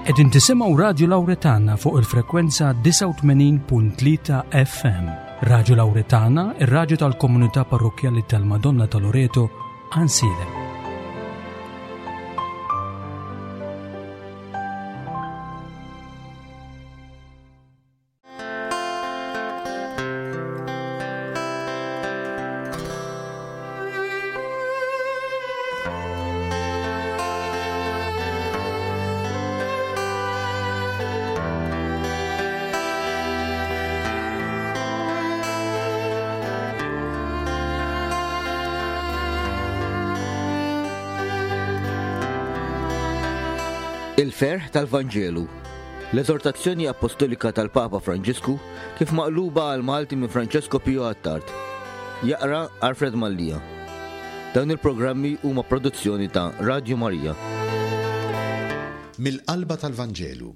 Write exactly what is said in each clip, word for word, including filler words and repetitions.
Qegħdin tisimgħu Radju Lawretana fuq il-frekwenza disgħa u tmenin punt tlieta F M. Radju Lawretana, ir-radju tal-Komunità Parrokkjali tal-Madonna ta' Loreto, Għajnsielem. Il-ferħ tal-Vanġelu. L-eżortazzjoni apostolika tal-Papa Franġisku kif maqluba għal Malti minn Francesco Pio Attard. Jaqra Alfred Mallia. Dawn il-programmi huma produzzjoni ta' Radio Maria. Mill-qalba tal-Vanġelu.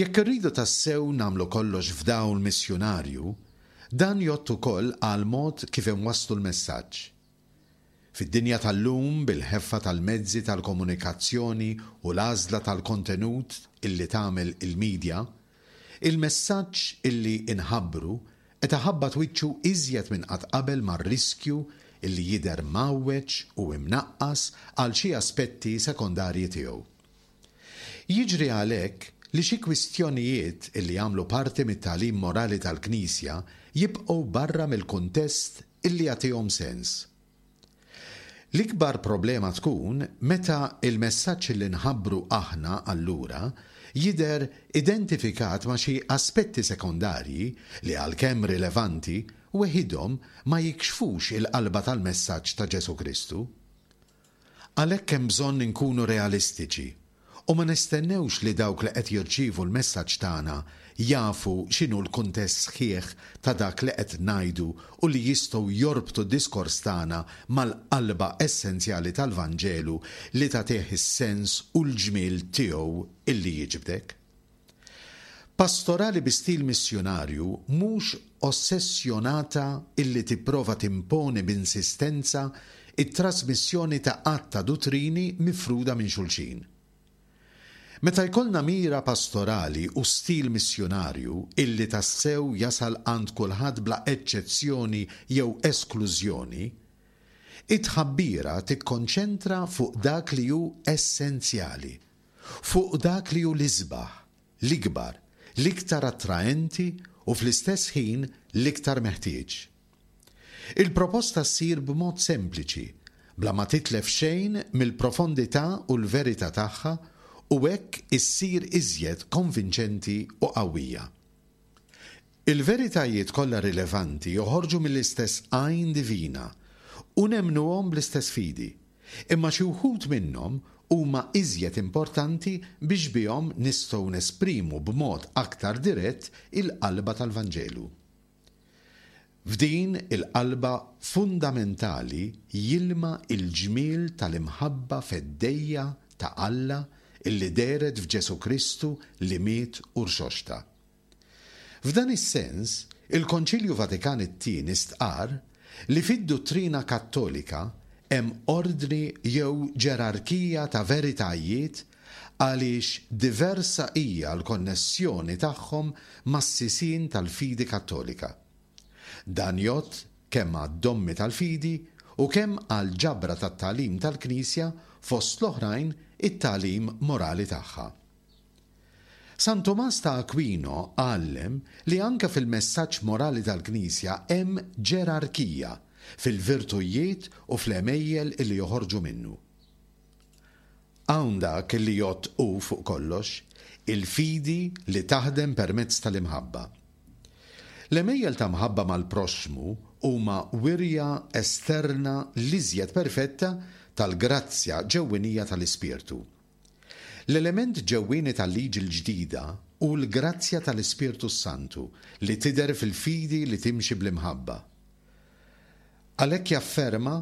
Jekk irridu tassew nagħmlu kollox f'dawl missjunarju, dan jgħodd ukoll għal mod kif inwasslu l-messaġġ. Fid-dinja tal-lum, bil-ħeffa tal-mezzi tal-komunikazzjoni u l-għażla tal-kontenut illi tagħmel il-medja, il-messaġġ illi inħabbru qed iħabbat wiċċu iżjed minn qatt qabel mar-riskju illi jidher mgħawweġ u imnaqqas għal xi aspetti sekondarji tiegħu. Jiġri għalhekk li xi kwistjonijiet illi jagħmlu parti mit-tagħlim morali tal-Knisja jibqgħu barra mill-kuntest illi jagħtihom sens. L-ikbar problema tkun meta il-messaġġ li nħabbru aħna allura jidher identifikat ma' xi aspetti sekondarji li, għalkemm rilevanti, weħidhom ma jikxfux il-qalba tal-messaġġ ta' Ġesu Kristu. Għalhekk hemm bżonn inkunu realistiċi u ma nistennewx li dawk li qed jirċievu l-messaġġ tagħna jafu x'inhu l-kuntest sħiħ ta' dak li qed ngħidu u li jistgħu jorbtu d-diskors tagħna mal-qalba essenzjali tal-Vanġelu li tagħtih is-sens u l-ġmiel tiegħu illi jiġbdek. Pastorali bi stil missjonarju mhux ossessjonata illi tipprova timponi b'insistenza it-trasmissjoni ta' għadd ta' duttrini mifruda minn xulxin. Meta jkollna mira pastorali u stil missjonarju illi tassew jasal għand kulħadd bla eċċezzjoni jew esklużjoni, it-tħabbira tikkonċentra fuq dak li hu essenzjali, fuq dak li hu l-isbaħ, l-ikbar, l-iktar attraenti u fl-istess ħin l-iktar meħtieġ. Il-proposta ssir b'mod sempliċi, bla ma titlef xejn mill-profondità u l-verità tagħha, u hekk issir iżjed konvinċenti u qawwija. Il-veritajiet kollha rilevanti joħorġu mill-istess għajn divina u nemmnuhom bl-istess fidi, imma xi wħud minnhom huma iżjed importanti biex bihom nistgħu nesprimu b'mod aktar dirett il-qalba tal-Vanġelu. F'din il-qalba fundamentali jilma il-ġmiel tal-imħabba feddejja ta' Alla illi dehret f'Ġesu Kristu li miet u rxoxta. F'dan is-sens, il-Konċilju Vatikan it-Tieni stqar li fid-dottrina Kattolika hemm ordni jew ġerarkija ta' veritajiet għaliex diversa hija l-konnessjoni tagħhom mas-sisien tal-fidi Kattolika. Dan jgħodd kemm għad-dommi tal-fidi u kemm għal ġabra tat-tagħlim tal-Knisja, fost l-oħrajn it-tagħlim morali tagħha. San Tomas ta' Aquino għallem li anke fil-messaġġ morali tal-Knisja hemm ġerarkija fil-virtujiet u fl-għemejjel illi joħorġu minnu. Hawn dak li jgħodd hu fuq kollox, il-fidi li taħdem permezz tal-imħabba. L-għemejjel ta' mħabba mal-proxmu huma wirja esterna l-iżjed perfetta tal-grazzja ġewwinija tal-Ispirtu. L-element ġewwieni tal-liġi l-ġdida hu l-grazzja tal-Ispirtu Santu li tidher fil-fidi li timxi bl-imħabba. Għalhekk jafferma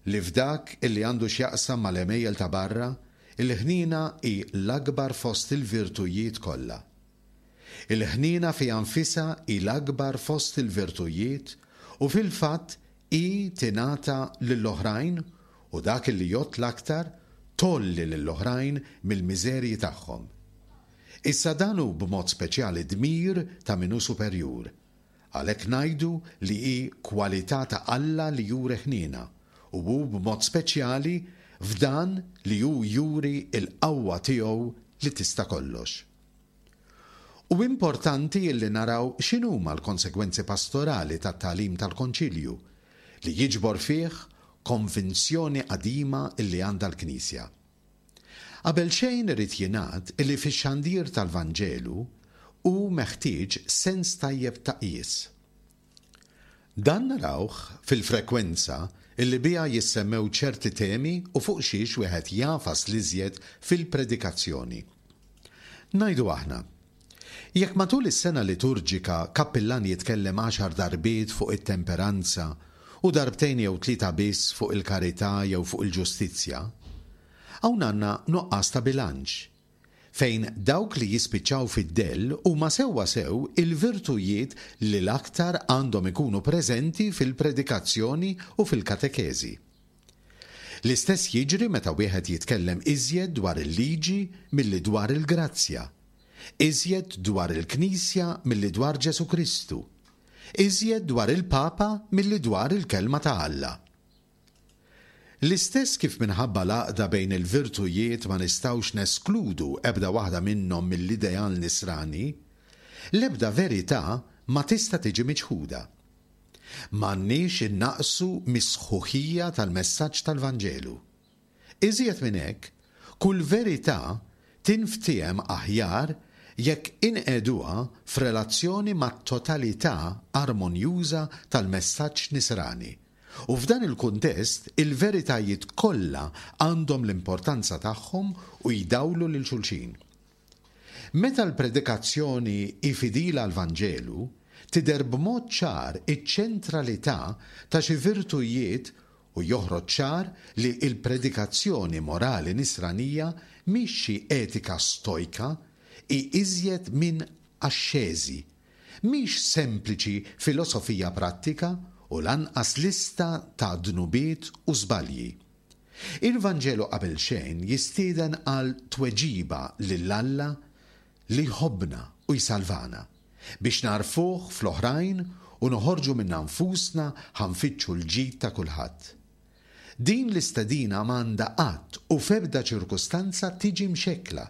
li f'dak illi għandu x'jaqsam mal-għemejjel ta' barra, il-ħniena hi l-akbar fost il-virtujiet kollha. Il-ħniena fiha nfisha hi l-akbar fost il-virtujiet u fil-fatt hi tingħata lill-oħrajn u, dak li jgħodd l-aktar, Tgħolli lill-oħrajn mill-miżerji tagħhom. Issa dan hu b'mod speċjali dmir ta' min hu superjur. Għalhekk ngħidu li hi kwalità ta' Alla li juri ħniena, u hu b'mod speċjali f'dan li hu juri l-qawwa tiegħu li tista' kollox. U importanti illi naraw x'inhuma l-konsegwenzi pastorali tat-tagħlim tal-Konċilju, li jiġbor fih konvinzjoni qadima illi għandha l-Knisja. Qabel xejn irid jingħad illi fix-xandir tal-Vanġelu hu meħtieġ sens tajjeb ta' qjies. Dan narawh fil-frekwenza illi biha jissemmew ċerti temi u fuq xiex wieħed jagħfas l-iżjed fil-predikazzjoni. Ngħidu aħna, jekk matul is-sena liturġika kappillan jitkellem għaxar darbiet fuq it-temperanza u darbtejn jew tlieta biss fuq il-karità jew fuq il-ġustizzja, hawn għandna nuqqas ta' bilanċ, fejn dawk li jispiċċaw fid-dell huma sewwasew il-virtujiet li l-aktar għandhom ikunu preżenti fil-predikazzjoni u fil-katekeżi. L-istess jiġri meta wieħed jitkellem iżjed dwar il-liġi milli dwar il-grazzja, iżjed dwar il-Knisja milli dwar Ġesù Kristu, iżjed dwar il-Papa milli dwar il-Kelma ta' Alla. L-istess kif minħabba l-għaqda bejn il-virtujiet ma nistgħux neskludu ebda waħda minnhom mill-ideal nisrani, l-ebda verità ma tista' tiġi miċħuda. M'għandniex innaqqsu mis-sħuħija tal-messaġġ tal-Vanġelu. Iżjed minn hekk, kull verità tinftiehem aħjar jekk inqegħduha f'relazzjoni mat-totalità armonjuża tal-messaġġ nisrani. U f'dan il-kuntest, il-veritajiet kollha għandhom l-importanza tagħhom u jdawlu lil xulxin. Meta l-predikazzjoni hi fidila għall-Vanġelu, tidher b'mod ċar iċ-ċentralità ta' xi virtujiet u joħroġ ċar li l-predikazzjoni morali nisranija mhix xi etika stojka, hi iżjed minn axxeżi, mhix sempliċi filosofija prattika u lanqas lista ta' dnubiet u żbalji. Il-Vanġelu qabel xejn jistieden għal tweġiba lil Alla li jħobbna u jsalvana, biex nagħrfuh fl-oħrajn u noħorġu minna nfusna ħa nfittxu l-ġid ta' kulħadd. Din l-istedina m'għandha qatt u f'ebda ċirkustanza tiġi mxekkla.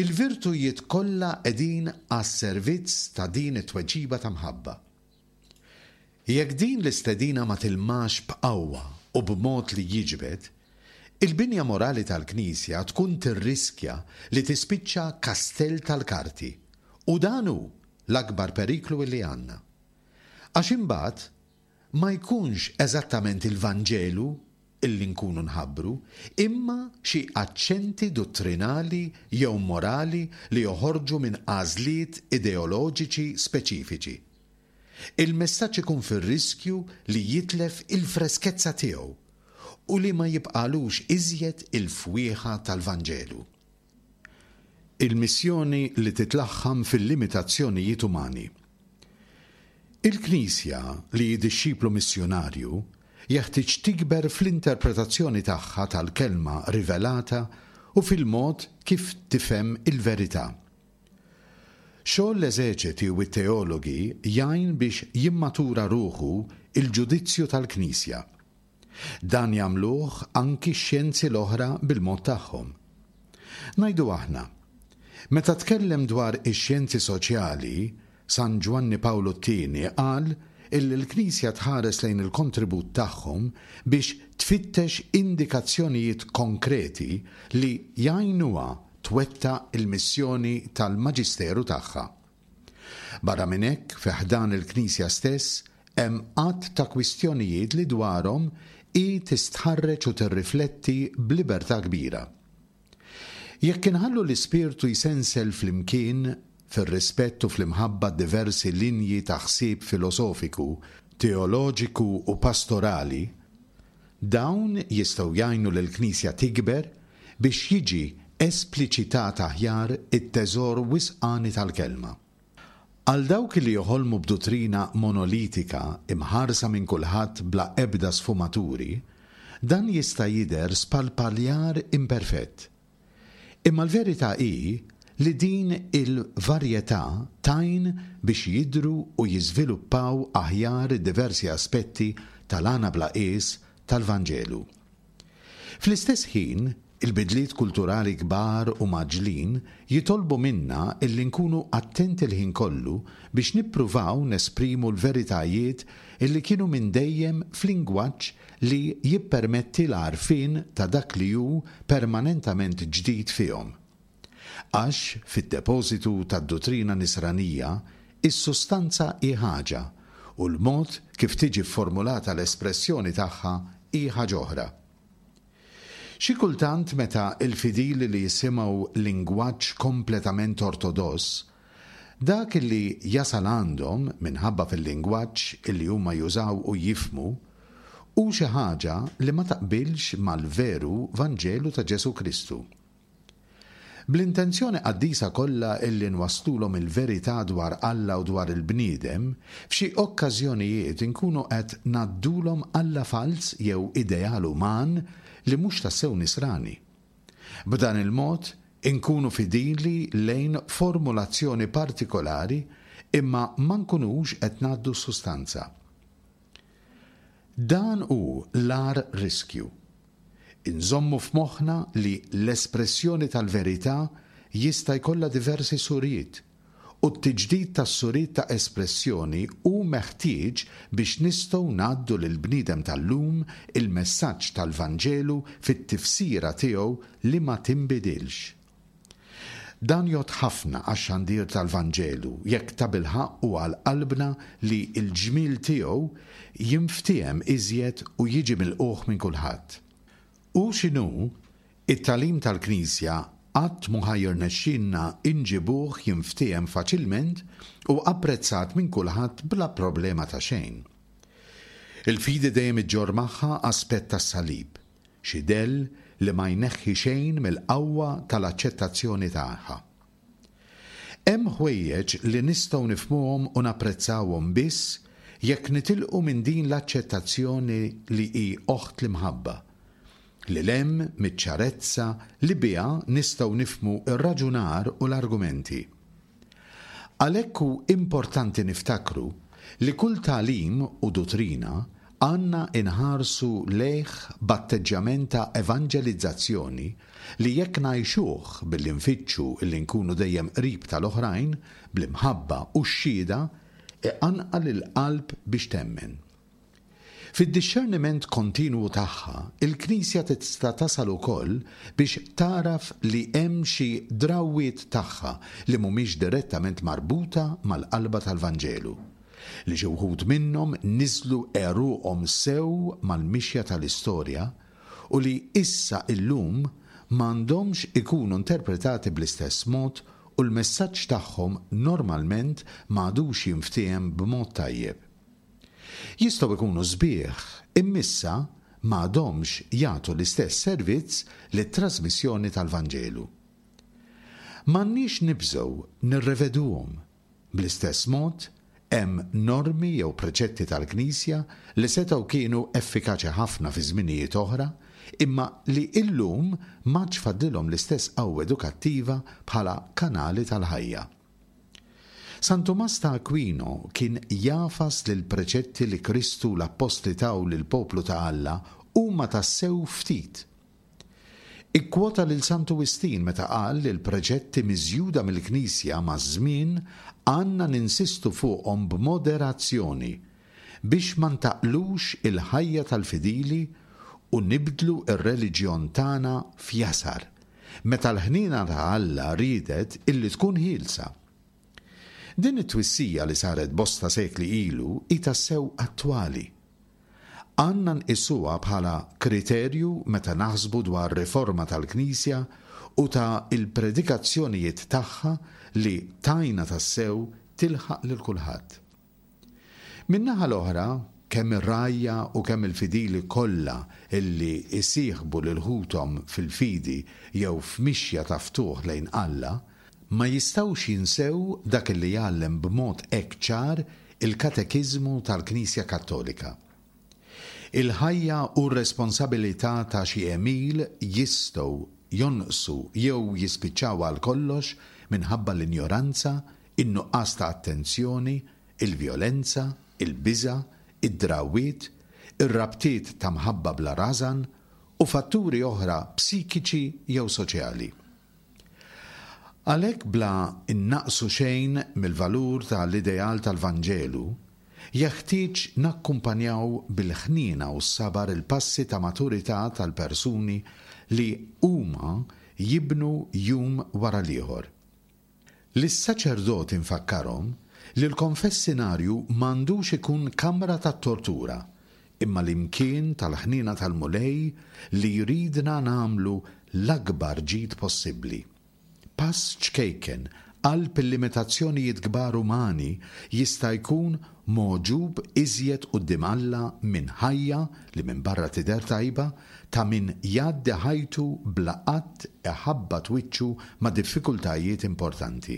Il-virtujiet kollha qegħdin għas-servizz ta' din it-tweġiba ta' mħabba. Jekk din l-istedina ma tilmax b'qawwa u b'mod li jiġbed, il-binja morali tal-Knisja tkun tirriskja li tispiċċa kastell tal-karti, u dan hu l-akbar periklu li għandna. Għax imbagħad ma jkunx eżattament il-Vanġelu illi nkunu nħabbru, imma xi aċċenti dottrinali jew morali li joħorġu minn għażliet ideoloġiċi speċifiċi. Il-messaġġ ikun fir-riskju li jitlef il-freskezza tiegħu u li ma jibqalux iżjed il-fwieħa tal-Vanġelu. Il-missjoni li titlaħħam fil-limitazzjonijiet umani. Il-Knisja li hi dixxiplu missjunarju jeħtieġ tikber fl-interpretazzjoni tagħha tal-kelma rivelata u fil-mod kif tifhem il-verità. Xogħol l-eżeġeti u t-teologi jgħin biex jimmatura ruħu il-ġudizzju tal-Knisja. Dan jagħmluh anki x-xjenzi l-oħra bil-mod tagħhom. Ngħidu aħna, meta tkellem dwar ix-xjenzi soċjali, San Ġwanni Pawlu t-tieni qal illi l-Knisja tħares lejn il-kontribut tagħhom biex tfittex indikazzjonijiet konkreti li jgħinuha twettaq il-missjoni tal-Maġisteru tagħha. Barra minn hekk, fi ħdan il-Knisja stess hemm għadd ta' kwistjonijiet li dwarhom hi tistħarreġ u tirrifletti b'libertà kbira. Jekk inħallu l-Ispirtu jsensel flimkien fir-rispett u fl-imħabba diversi linji ta' ħsieb filosofiku, teoloġiku u pastorali, dawn jistgħu jgħinu lill-Knisja tikber biex jiġi espliċitat aħjar it-teżor wisqani tal-kelma. Għal dawk li joħolmu b'duttrina monolitika imħarsa minn kulħadd bla ebda sfumaturi, Dan jista' jidher spalpaljar imperfett. Imma l-verità hi li din il-varjetà tgħin biex jidhru u jiżviluppaw aħjar id-diversi aspetti tal-għana bla qies tal-Vanġelu. Fl-istess ħin, il-bidliet kulturali kbar u mgħaġġlin jitolbu minna illi nkunu attenti l-ħin kollu biex nippruvaw nesprimu l-veritajiet illi kienu minn dejjem f'lingwaġġ li jippermetti l-għarfien ta' dak li hu permanentament ġdid fihom. Għax fid-depożitu tad-duttrina nisranija, is-sustanza hi ħaġa u l-mod kif tiġi fformulata l-espressjoni tagħha hi ħaġa oħra. Xi kultant meta l-fidili li jisimgħu lingwaġġ kompletament ortodoss, dak li jasal għandhom minħabba fil-lingwaġġ illi huma jużaw u jifhmu, hu xi ħaġa li ma taqbilx mal-veru Vanġelu ta' Ġesù Kristu. Bl-intenzjoni qaddisa kollha illi nwasslulhom il-verità dwar Alla u dwar il-bniedem, f'xi okkażjonijiet inkunu qed ngħaddulhom Alla falz jew ideal uman li mhux tassew nisrani. B'dan il-mod inkunu fidili lejn formulazzjoni partikolari imma ma nkunux qed ngħaddu s-sustanza. Dan hu l-agħar riskju. Inżommu f'moħħna li l-espressjoni tal-verità jista' jkollha diversi suriet u t-tiġdid tas-suriet ta' espressjoni hu meħtieġ biex nistgħu ngħaddu lill-bniedem tal-lum il-messaġġ tal-Vanġelu fit-tifsira tiegħu li ma tinbidilx. Dan jgħodd ħafna għax-xandir tal-Vanġelu jekk tabilħaqq hu għal qalbna li l-ġmiel tiegħu jinftiehem iżjed u jiġi milqugħ minn kulħadd. U x'inhu, it-tagħlim tal-Knisja qatt mhu ħa jirnexxilna inġibuh jinftiehem faċilment u apprezzat minn kulħadd bla problema ta' xejn. Il-fidi dejjem iġġorr magħha aspett tas-salib, xi dell li ma jneħħi xejn mill-qawwa tal-aċċettazzjoni tagħha. Hemm ħwejjeġ li nistgħu nifhmuhom u napprezzawhom biss jekk nitilqu minn din l-aċċettazzjoni li hi oħt l-imħabba, li lem miċ-ċarezza li biha nistgħu nifhmu r-raġunar u l-argumenti. Għalhekk hu importanti niftakru li kull tagħlim u duttrina għandna inħarsu lejh b'atteġġjament ta' evanġelizzazzjoni li jekk ngħixuh billi nfittxu illi nkunu dejjem qrib tal-oħrajn bl-imħabba u x-xhieda, iqanqal il-qalb biex temmen. Fid-dixxerniment kontinwu tagħha, il-Knisja tista' tasal ukoll biex tagħraf li hemm xi drawwiet tagħha li mhumiex direttament marbuta mal-qalba tal-Vanġelu, li xi wħud minnhom niżlu għeruqhom sew mal-mixja tal-istorja u li issa illum m'għandhomx ikunu interpretati bl-istess mod u l-messaġġ tagħhom normalment m'għadux jinftiehem b'mod tajjeb. Jistgħu jkunu sbieħ, immissa m'għadhomx jagħtu l-istess servizz lit-trasmissjoni tal-Vanġelu. M'għandniex nibżgħu nirreveduhom. Bl-istess mod, hemm normi jew preċetti tal-Knisja li setgħu kienu effikaċi ħafna fi żminijiet oħra, imma li illum m'għadx fadlilhom l-istess qawwa edukattiva bħala kanali tal-ħajja. San Tumas ta' Aquino kien jafas li l-preċetti li Kristu l-Appostli taw lill-poplu ta' Alla huma tassew ftit. Ikkwota lil Santu Wistin meta qal li l-preċetti miżjuda mill-Knisja maż-żmien għandna ninsistu fuqhom b'moderazzjoni biex ma ntaqlux il-ħajja tal-fidili u nibdlu r-reliġjon tagħna f'jasar, meta l-ħniena ta' Alla riedet illi tkun ħielsa. Din it-twissija li saret bosta sekli ilu hi tassew attwali. Għandna nqisuha bħala kriterju meta naħsbu dwar riforma tal-Knisja u ta' il-predikazzjonijiet tagħha li tajna tassew tilħaq lil kulħadd. Min-naħa l-oħra, kemm ir-rgħajja u kemm il-fidili kollha illi jsieħbu lil ħuthom fil-fidi jew f'mixja ta' ftuħ lejn Alla, ma jistgħux jinsew dak li jgħallem b'mod hekk ċar il-Katekiżmu tal-Knisja Kattolika. Il-ħajja u r-responsabilità ta' xi għemil jistgħu jonqsu jew jispiċċaw għal kollox minħabba l-injoranza, in-nuqqas ta' attenzjoni, il-vjolenza, il-biża', id-drawwiet, ir-rabtiet ta' mħabba bla rażan u fatturi oħra psikiċi jew soċjali. Għalhekk bla innaqsu xejn mill-valur tal-ideal tal-Vanġelu, jeħtieġ nakkumpanjaw bil-ħniena u s-sabar il-passi ta' maturità tal-persuni li huma jibnu jum wara l-ieħor. Lis-saċerdoti nfakkarhom li l-konfessinarju m'għandux ikun kamra tat-tortura, imma l-imkien tal-ħniena tal-Mulej li jridna nagħmlu l-akbar ġid possibbli. Pass ċkejken qalb il-limitazzjonijiet kbar umani jista' jkun mogħġub iżjed quddiem Alla minn ħajja li minn barra tidher tajba ta' min jgħaddi ħajtu bla qatt iħabbat wiċċu ma' diffikultajiet importanti.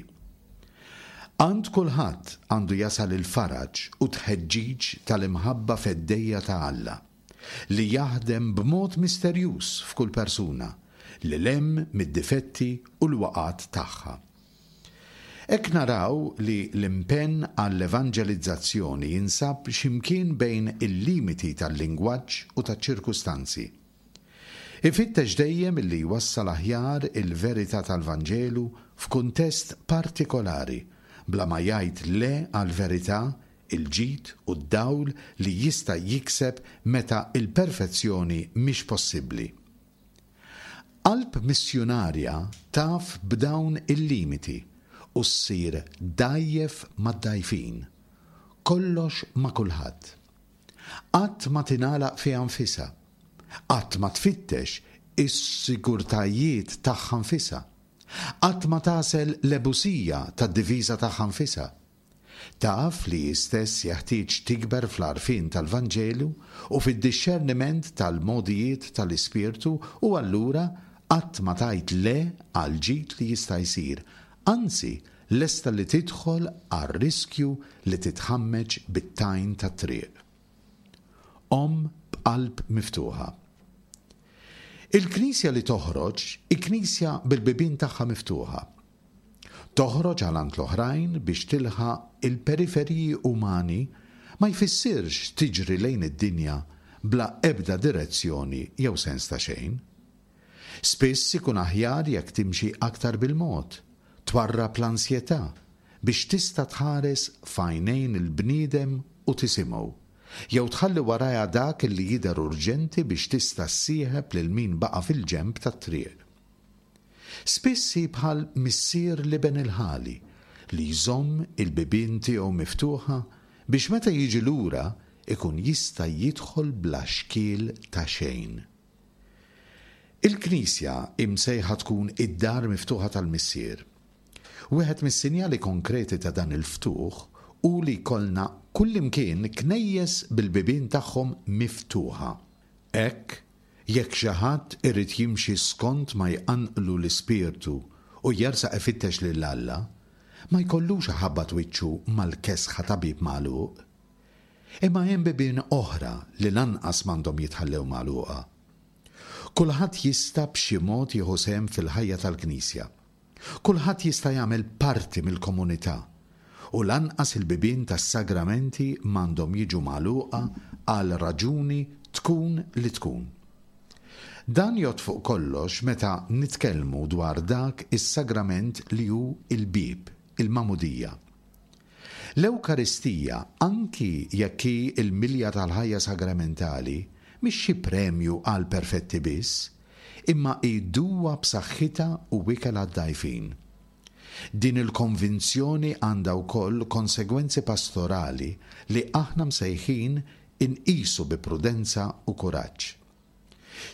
Għand kulħadd għandu jasal il-faraġ u tħeġġiġ tal-imħabba feddejja ta' Alla, li jaħdem b'mod misterjuż f'kull persuna, lil hemm mid-difetti u l-waqgħat tagħha. Hekk naraw li l-impenn għall-evanġelizzazzjoni jinsab x'imkien bejn il-limiti tal-lingwaġġ u taċ-ċirkustanzi. Ifittex dejjem illi jwassal aħjar il-verità tal-Vanġelu f'kuntest partikolari, bla ma jgħid le għall-verità, il-ġid u d-dawl li jista' jikseb meta il-perfezzjoni mhix possibbli. Qalb missjunarja taf b'dawn il-limiti u ssir dgħajjef mad-dgħajfin, kollox ma' kulħadd. Qatt ma tingħalaq fiha nfisha, qatt ma tfittex is-sigurtajiet tagħha nfisha, qatt ma tagħżel l-ebusija tad-diviża tagħha nfisha. Taf li hi stess jeħtieġ tikber fl-għarfien tal-Vanġelu u fid-dixxerniment tal-mogħdijiet tal-Ispirtu u allura qatt ma tgħid le għal ġid li jista' jsir, anzi lesta li tidħol għar-riskju li titħammeġ bit-tajn tat-triq. Omm b'qalb miftuħa. Il-Knisja li toħroġ hi Knisja bil-bibien tagħha miftuħa. Toħroġ għal għand l-oħrajn biex tilħaq il-periferiji umani ma jfissirx tiġri lejn id-dinja bla ebda direzzjoni jew sens ta' xejn. Spiss ikun aħjar jekk timxi aktar bil-mod, twarrab l-ansjetà biex tista' tħares f'għajnejn il-bniedem u tisimgħu, jew tħalli warajha dak li jidher urġenti biex tista' ssieħeb lil min baqa' fil-ġenb tat-triq. Spiss hi bħal missier l-iben il-ħali li jżomm il-bibien tiegħu miftuħa biex meta jiġi lura ikun jista' jidħol bla xkiel ta' xejn. Il-Knisja imsejħa tkun id-dar miftuħa tal-Missier. Wieħed mis-sinjali konkreti ta' dan il-ftuħ hu li jkollna kullimkien knejjes bil-bibien tagħhom miftuħa. Hekk, jekk xi ħadd irid jimxi skont ma jqanqlu l-Ispirtu u jersaq ifittex lil Alla, ma jkollux iħabbat wiċċu mal-kesħa ta' bieb magħluq. Imma hemm bibien oħra li lanqas m'għandhom jitħallew magħluqa. Kulħadd jista' b'xi mod jieħu sehem fil-ħajja tal-Knisja. Kulħadd jista' jagħmel parti mill-komunità u lanqas il-bibien tas-sagramenti m'għandhom jiġu magħluqa għal raġuni tkun li tkun. Dan jgħodd fuq kollox meta nitkellmu dwar dak is-sagrament li hu il-bieb, il-magħmudija. L-Ewkaristija, anki jekk hi l-milja tal-ħajja sagramentali, mhix xi premju għal perfetti biss, imma hi duwa b'saħħitha u ikel għad-dgħajfin. Din il-konvinzjoni għandha wkoll konsegwenzi pastorali li aħna msejħin inqisu bi prudenza u kuraġġ.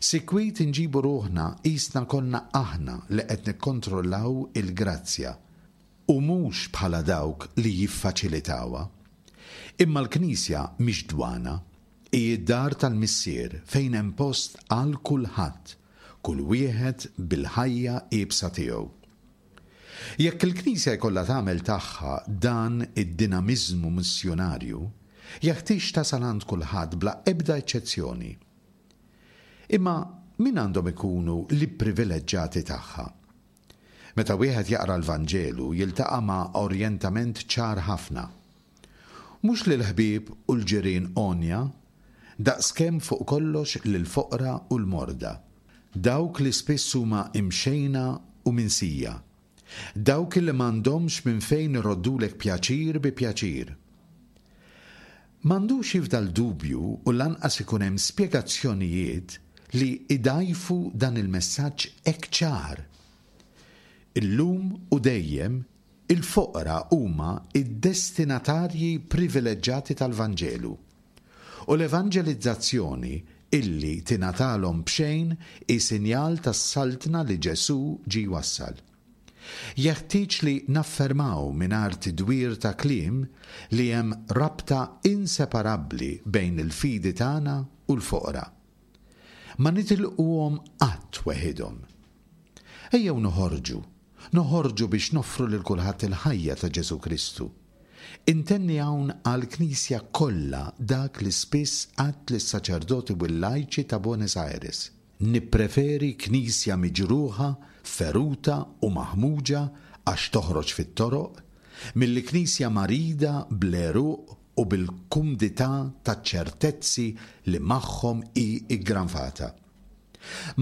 Sikwit inġibu ruħna qisna konna aħna li qed nikkontrollaw il-grazzja u mhux bħala dawk li jiffaċilitawha. Imma l-Knisja mhix dwana, hi d-dar tal-Missier fejn hemm post għal kulħadd, kull wieħed bil-ħajja iebsa tiegħu. Jekk il-Knisja jkollha tagħmel tagħha dan id-dinamiżmu missjunarju, Jeħtieġ tasal għand kulħadd bla ebda eċċezzjoni. Imma min għandhom ikunu l-privileġġati tagħha? Meta wieħed jaqra l-Vanġelu jiltaqa' ma' orjentament ċar ħafna. Mhux lill-ħbieb u l-ġirien għonja, daqskemm fuq kollox lill-foqra u l-morda. Dawk li spiss huma imxejna u minsija. Dawk li m'għandhomx minn fejn iroddulek pjaċir bi pjaċir. M'għandux jifdal dubju u lanqas ikun hemm spjegazzjonijiet li idgħajfu dan il-messaġġ hekk ċar. Illum u dejjem il-foqra huma id-destinatarji privileġġati tal-Vanġelu. U l-evanġelizzazzjoni illi tingħatalhom b'xejn hi sinjal tas-saltna li Ġesù ġie jwassal. Jeħtieġ li naffermaw mingħajr tidwir ta' kliem li hemm rabta inseparabbli bejn il-fidi tagħna u l-foqra. Ma nitilquhom qatt weħidhom. Ejjew noħorġu, noħorġu biex noffru lil kulħadd il-ħajja ta' Ġesù Kristu. Intenni hawn għall-Knisja kollha dak li spiss għedt lis-saċerdoti u l-lajċi ta' Buenos Aires. Nippreferi Knisja miġruħa, feruta u maħmuġa għax toħroġ fit-toroq, milli Knisja marida bl-għeruq u bil-kumdità taċ-ċertezzi li magħhom hi ggranfata.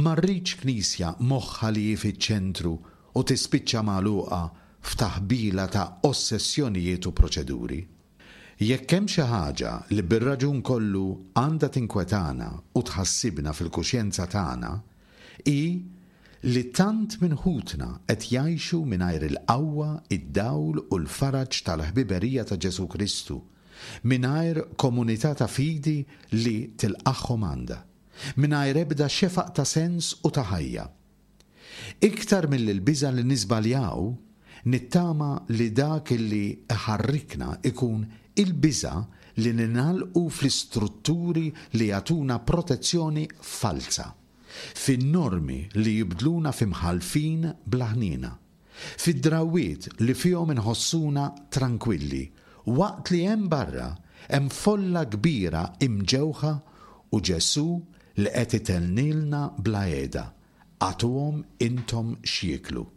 Ma rridx Knisja moħħha li hi fiċ-ċentru u tispiċċa magħluqa f'taħbila ta' ossessjonijiet u proċeduri. Jekk hemm xi ħaġa li bir-raġun kollu għandha tinkwetana u tħassibna fil-kuxjenza tagħna, hi li tant minn ħutna qed jgħixu mingħajr il-qawwa, id-dawl u l-faraġ tal-ħbiberija ta' Ġesù Kristu, mingħajr komunità ta' fidi li tilqagħhom għandha, mingħajr ebda xefaq ta' sens u ta' ħajja. Iktar milli l-biża' li niżbaljaw, nittama li dak li iħarrikna ikun il-biża' li ninalqu fl-istrutturi li jagħtuna protezzjoni falza, fin-normi li jibdluna f'imħallfin bla ħniena, fid-drawwiet li fihom inħossuna trankwilli, waqt li hemm barra hemm folla kbira imġewħa u Ġesù li qed itennilna bla qiegħda, agħtuhom intom x'jieklu.